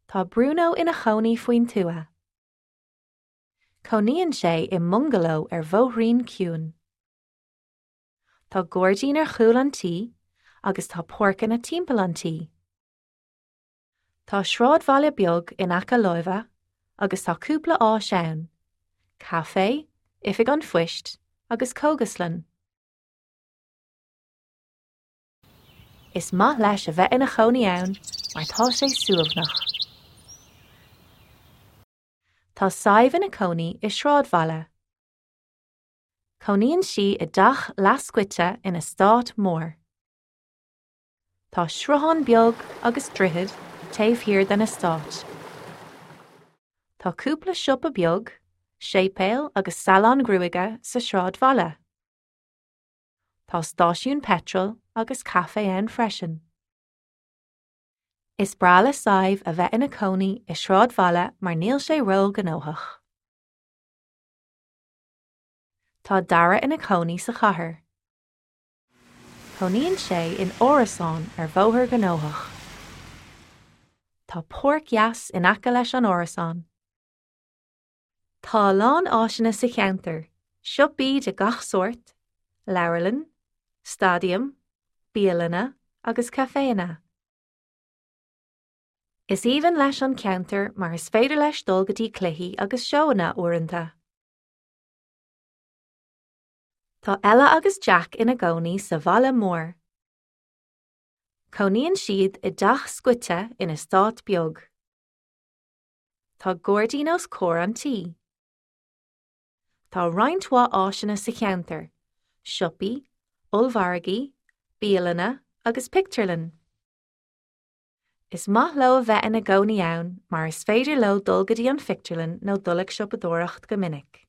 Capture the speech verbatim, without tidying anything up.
Tá Bruno ina chónaí faoin tuath. Cónaíonn sé i mbungaló ar bhóithrín ciúin. Tá gairdín ar chúl an tí agus tá páirceanna timpeall an tí. Tá sráidbhaile beag in aice láimhe agus tá cúpla áis ann, caife, oifig an phoist agus cógaslann. Is maith leis a bheith ina chónaí ann mar tá sé suaimhneach. Tá Sadhbh ina cónaí i sráidbhaile. Cónaíonn sí i dteach leathscoite in eastát mór. Tá sruthán beag agus droichead taobh thiar den eastát. Tá cúpla siopa beag, séipéal agus salón gruaige sa sráidbhaile. Tá stáisiún peitril agus caife ann freisin. Is breá le Sadhbh a bheith ina cónaí i sráidbhaile mar níl sé róghnóthach. Tá Dara ina chónaí sa chathair. Cónaíonn sé in árasán ar bhóthar gnóthach. Tá páirc dheas in aice leis an árasán. Tá a lán áiseanna sa cheantar, siopaí de gach sórt, leabharlann, staidiam, bialanna agus caiféanna. Is aoibhinn leis an ceantar mar is féidir leis dul go dtí cluichí agus seóanna uaireanta. Tá Ella agus Jack ina gcónaí sa bhaile mór. Cónaíonn siad i dteach scoite in eastát beag. Tá gairdín os comhair an tí. Tá roinnt mhaith áiseanna sa cheantar, siopaí, ollmhargaí, bialanna agus pictiúrlann. Is maith leo a bheith ina gcónaí ann mar is féidir leo dul go dtí an phictiúrlann nó dul ag siopadóireacht go minic.